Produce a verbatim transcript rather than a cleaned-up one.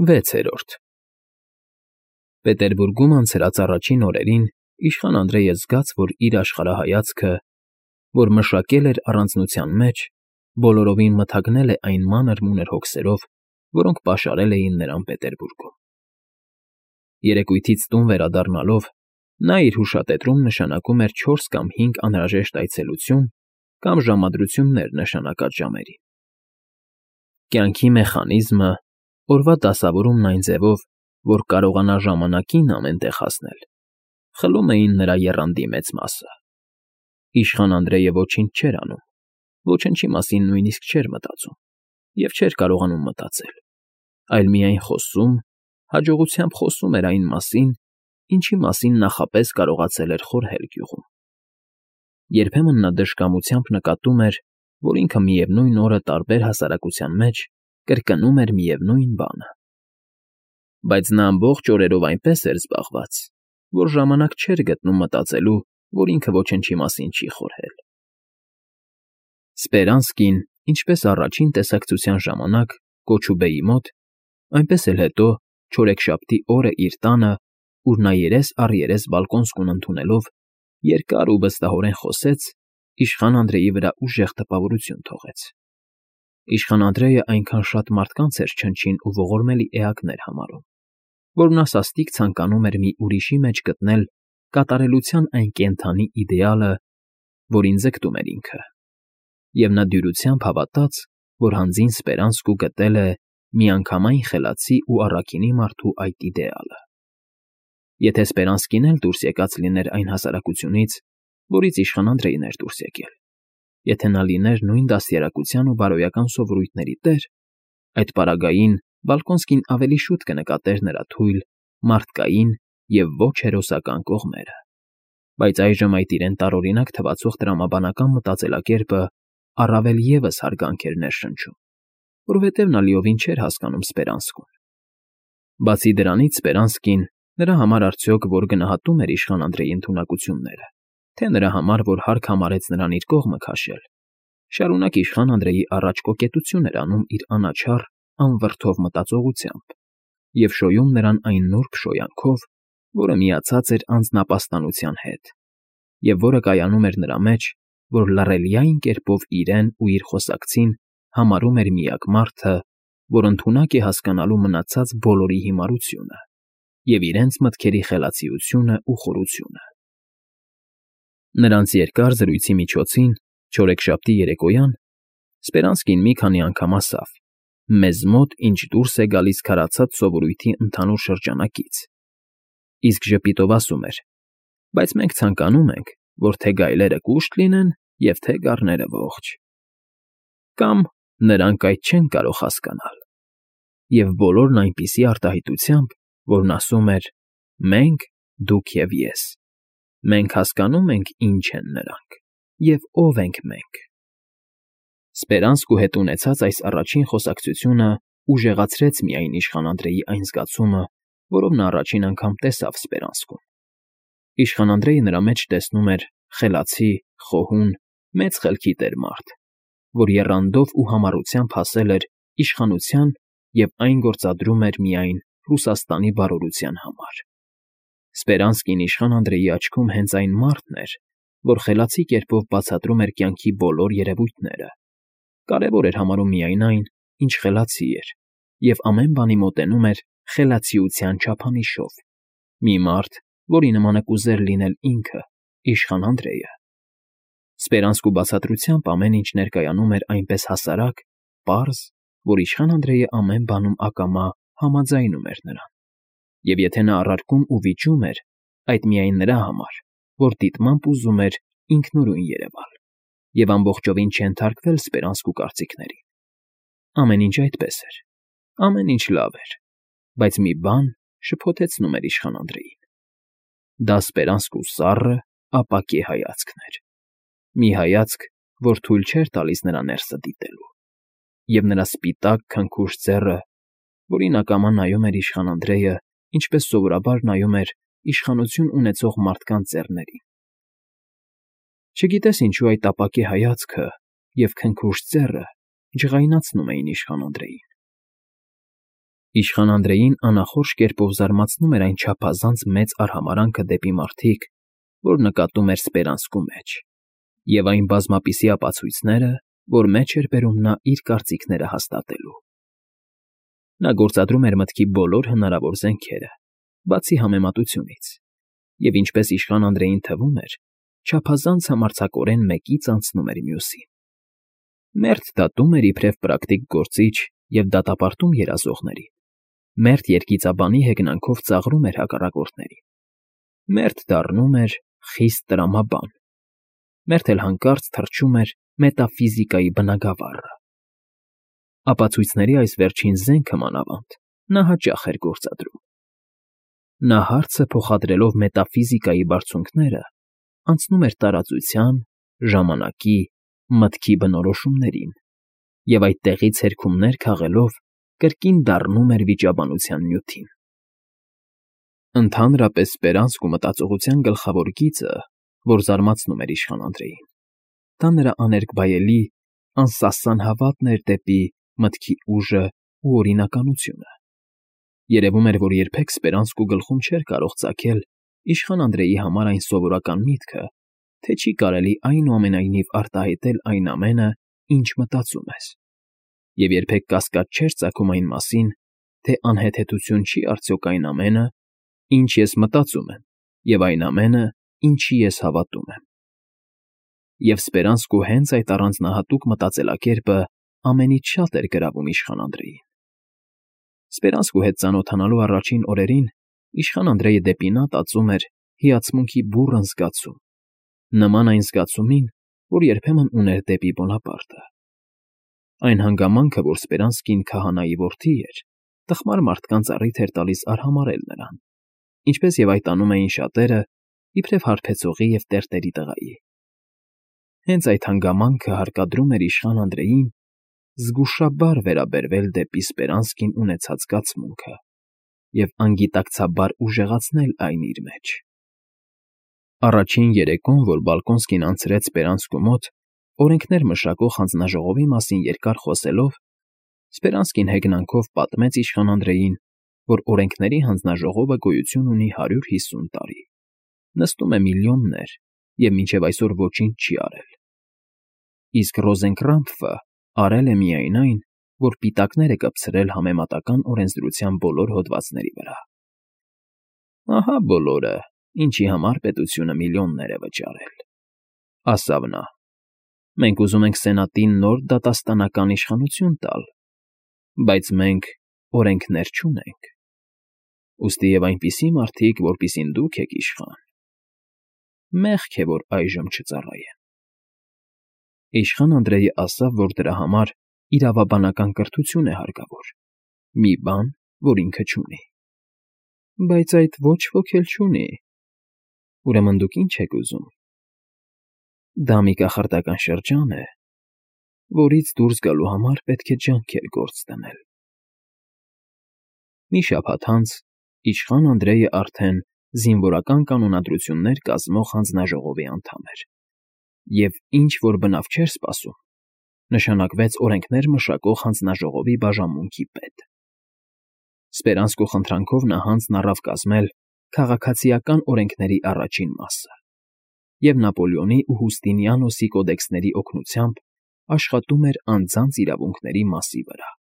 Վեցերորդ Պետերբուրգում անցրած առաջին օրերին իշխան Անդրեյը զգաց, որ իր աշխարհայացքը, որ մշակել էր առանձնության մեջ, բոլորովին մթագնել է այն մանր֊մունր հոգսերով, որոնք պաշարել էին նրան Պետերբուրգում։ Երեկույթից տուն վերադառնալով նա իր հուշատետրում նշանակում էր չորս կամ հինգ անհրաժեշտ այցելություն կամ ժամադրություններ նշանակած ժամերին։ Կյանքի մեխանիզմը, օրվա դասավորումն այն ձևով, որ կարողանա ժամանակին ամեն տեղ հասնել, խլում էին նրա եռանդի մեծ մասը։ Իշխան Անդրեյը ոչինչ չէր անում, ոչնչի մասին նույնիսկ չէր մտածում և չէր կարողանում մտածել, այլ միայն խոսում, հաջողությամբ խոսում էր այն մասին, ինչի մասին նախապես կարողացել էր խորհել գյուղում։ Երբեմն նա դժկամությամբ նկատում էր, որ ինքը միևնույն օրը տարբեր հասարակության մեջ կրկնում էր միևնույն բանը։ Բայց նա ամբողջ օրերով այնպես էր զբաղված, որ ժամանակ չէր գտնում մտածելու, որ ինքը ոչնչի մասին չի խորհել։ Սպերանսկին, ինչպես առաջին տեսակցության ժամանակ Կոչուբեի մոտ, այնպես էլ հետո չորեքշաբթի օրը իր տանը, ուր նա երես առ երես բալկոնսկուն ընդունելով երկար ու վստահորեն խոսեց, իշխան Անդրեյի վրա ուժեղ տպավորություն թողեց։ Իշխան Անդրեյը այնքան շատ մարդկանց էր չնչին ու ողորմելի էակներ համարում, որ նա սաստիկ ցանկանում էր մի ուրիշի մեջ գտնել կատարելության այն կենդանի իդեալը, որին ձգտում էր ինքը, և նա դյուրությամբ հավատաց, որ հանձին Սպերանսկու գտել է միանգամայն խելացի ու առաքինի մարդու այդ իդեալը։ Եթե Սպերանսկին էլ դուրս եկած լիներ այն հասարակությունից, որից իշխան Անդրեյն էր դուրս եկել, եթե նա լիներ նույն դաստիարակության ու բարոյական սովորույթների տեր, այդ պարագային Բալկոնսկին ավելի շուտ կնկատեր նրա թույլ, մարդկային և ոչ հերոսական կողմերը, բայց այժմ այդ իրեն տարօրինակ թվացող տրամաբանական մտածելակերպը առավել ևս հարգանք էր ներշնչում, որովհետև նա լիովին չէր հասկանում Սպերանսկուն։ Բացի դրանից Սպերանսկին նրա համար արդյոք որ գնահատում էր իշխան Անդրեյի ընդունակությունները, թե նրա համար, որ հարկ համարեց նրան իր կողմը քաշել, շարունակ իշխան Անդրեյի առաջ կոկետություն էր անում իր անաչառ, անվրդով մտածողությամբ և շոյում նրան այն նուրբ շոյանքով, որը միացած էր անձնապաստանության հետ, և որը կայանում էր նրա մեջ, որ լռելյային կերպով իրեն ու իր խոսակցին համարում էր միակ մարդը, որ ընդունակ է հասկանալու մնացած բոլորի հիմարությունը և իրենց մտքերի խելացիությունն ու խորությունը։ Նրանց երկար զրույցի միջոցին, չորեքշաբթի երեկոյան, Սպերանսկին մի քանի անգամ ասավ. «Մեզ մոտ ինչ դուրս է գալիս քարացած սովորույթի ընդհանուր շրջանակից», իսկ ժպիտով ասում էր. «Բայց մենք ցանկանում ենք, որ թե գայլերը կուշտ լինեն և թե գառները ողջ»։ Կամ «Նրանք այդ չեն կարող հասկանալ»։ Եվ բոլորն այնպիսի արտահայտությամբ, որն ասում էր. «Մենք, դուք և ես, մենք հասկանում ենք՝ ինչ են նրանք և ով ենք մենք»։ Սպերանսկու հետ ունեցած այս առաջին խոսակցությունը ուժեղացրեց միայն իշխան Անդրեյի այն զգացումը, որով նա առաջին անգամ տեսավ Սպերանսկուն։ Իշխան Անդրեյը նրա մեջ տեսնում էր խելացի, խոհուն, մեծ խելքի տեր մարդ, որ եռանդով ու համառությամբ հասել էր իշխանության և այն գործադրում էր միայն Ռուսաստանի բարօրության համար։ Սպերանսկին իշխան Անդրեյի աչքում հենց այն մարդն էր, որ խելացի կերպով բացատրում էր կյանքի բոլոր երևույթները, կարևոր էր համարում միայն այն, ինչ խելացի էր, և ամեն բանի մոտենում էր խելացիության չափանիշով, մի մարդ, որի նմանը կուզեր լինել ինքը՝ իշխան Անդրեյը։ Սպերանսկու բացատրությամբ ամեն ինչ ներկայանում էր այնպես հասարակ, պարզ, որ իշխան Անդրեյը ամեն բանում ակամա համաձայնում էր նրան, և եթե նա առարկում ու վիճում էր, այդ միայն նրա համար, որ դիտմամբ ուզում էր ինքնուրույն երևալ և ամբողջովին չենթարկվել Սպերանսկու կարծիքներին։ Ամեն ինչ այդպես էր, ամեն ինչ լավ էր, բայց մի բան շփոթեցնում էր իշխան Անդրեյին։ Դա Սպերանսկու սառը, ապակե հայացքն էր, մի հայացք, որ թույլ չէր տալիս նրա ներսը դիտելու, և նրա սպիտակ, քնքուշ ձեռը, որին ակամա նայում էր իշխան Անդրեյը, ինչպես սովորաբար նայում էր իշխանություն ունեցող մարդկանց ձեռներին։ Չգիտես ինչու այդ ապակե հայացքը և քնքուշ ձեռը ջղայնացնում էին իշխան Անդրեյին։ Իշխան Անդրեյին անախորժ կերպով զարմացնում էր այն չափազանց մեծ արհամարհանքը դեպի մարդիկ, որ նկատում էր Սպերանսկու մեջ, և այն բազմապիսի ապացույցները, որ մեջ էր բերում նա իր կարծիքները հաստատելու։ Նա գործադրում էր մտքի բոլոր հնարավոր զենքերը, բացի համեմատությունից, և ինչպես իշխան Անդրեյին թվում էր, չափազանց համարձակորեն մեկից անցնում էր մյուսին։ Մերթ դատում էր իբրև պրակտիկ գործիչ և դատապարտում երազողներին, մերթ երգիծաբանի հեգնանքով ծաղրում էր հակառակորդներին, մերթ դառնում էր խիստ տրամաբան, մերթ էլ հանկարծ թռչում էր մետաֆիզիկայի բնագավառը։ Ապացույցների այս վերջին զենքը, մանավանդ, նա հաճախ էր գործադրում։ Նա հարցը փոխադրելով մետաֆիզիկայի բարձունքները, անցնում էր տարածության, ժամանակի, մտքի բնորոշումներին և այդտեղից հերքումներ քաղելով կրկին դառնում էր վիճաբանության նյութին։ Ընդհանրապես սպերանսկու մտածողության գլխավոր գիծը, որ զարմացնում էր իշխան Անդրեյին, դա նրա աներկբայելի, անսասան հավատն էր դեպի մտքի ուժն ու օրինականությունը։ Երևում էր, որ երբեք Սպերանսկու գլխում չէր կարող ծագել իշխան Անդրեյի համար այն սովորական միտքը, թե չի կարելի այնուամենայնիվ արտահայտել այն ամենը, ինչ մտածում ես, և երբեք կասկած չէր ծագում այն մասին, թե անհեթեթություն չի արդյոք այն ամենը, ինչ ես մտածում եմ, և այն ամենը, ինչի ես հավատում եմ։ Եվ Սպերանսկու հենց այդ առանձնահատուկ մտածելակերպը ամենից շատ էր գրավում իշխան Անդրեյին։ Սպերանսկու հետ ծանոթանալու առաջին օրերին իշխան Անդրեյը դեպի նա տածում էր հիացմունքի բուռն զգացում, նման այն զգացումին, որ երբեմն ուներ դեպի Բոնապարտը։ Այն հանգամանքը, որ Սպերանսկին քահանայի որդի էր, տխմար մարդկանց առիթ էր տալիս արհամարհել նրան, ինչպես և այդ անում էին շատերը, իբրև հարբեցողի և տերտերի տղայի։ Հենց այդ հանգամանքը հարկադրում էր իշխան Անդրեյին զգուշաբար վերաբերվել դեպի Սպերանսկին ունեցած զգացմունքը և անգիտակցաբար ուժեղացնել այն իր մեջ։ Առաջին երեկոն, որ Բալկոնսկին անցրեց Սպերանսկու մոտ, օրենքներ մշակող հանձնաժողովի մասին երկար խոսելով, Սպերանսկին հեգնանքով պատմեց իշխան Անդրեյին, որ օրենքների հանձնաժողովը գոյություն ունի հարյուր հիսուն տարի, նստում է միլիոններ և մինչև այսօր ոչինչ չի արել, իսկ Ռոզենկրամփը արել է միայն այն, որ պիտակներ է կպցրել համեմատական օրենսդրության բոլոր հոդվածների վրա։ Ահա բոլորը, ինչի համար պետությունը միլիոններ է վճարել, ասավ նա։ Մենք ուզում ենք Սենատին նոր դատաստանական իշխանություն տալ, բայց մենք օրենքներ չունենք, ուստի և այնպիսի մարդիկ, որպիսին դուք եք իշխան, մեղք է, որ այժմ չծառայեն։ Իշխան Անդրեյը ասավ, որ դրա համար իրավաբանական կրթություն է հարկավոր, մի բան, որ ինքը չունի։ Բայց այդ ոչ ոք էլ չունի։ Ուրեմն դուք ի՞նչ եք ուզում։ Դա մի կախարդական շրջան է, որից դուրս գալու համար պետք է ջանքեր գործ դնել։ Մի շաբաթ անց իշխան Անդրեյը արդեն զինվորական կանոնադրություններ կազմող հանձնաժողովի անդամ էր, և ինչ֊որ բնավ չէր սպասում, նշանակվեց օրենքներ մշակող հանձնաժողովի բաժանմունքի պետ։ Սպերանսկու խնդրանքով նա հանձն առավ կազմել քաղաքացիական օրենքների առաջին մասը և Նապոլեոնի ու Հուստինիանոսի կոդեքսների օգնությամբ աշխատում էր անձանց իրավունքների մասի վրա։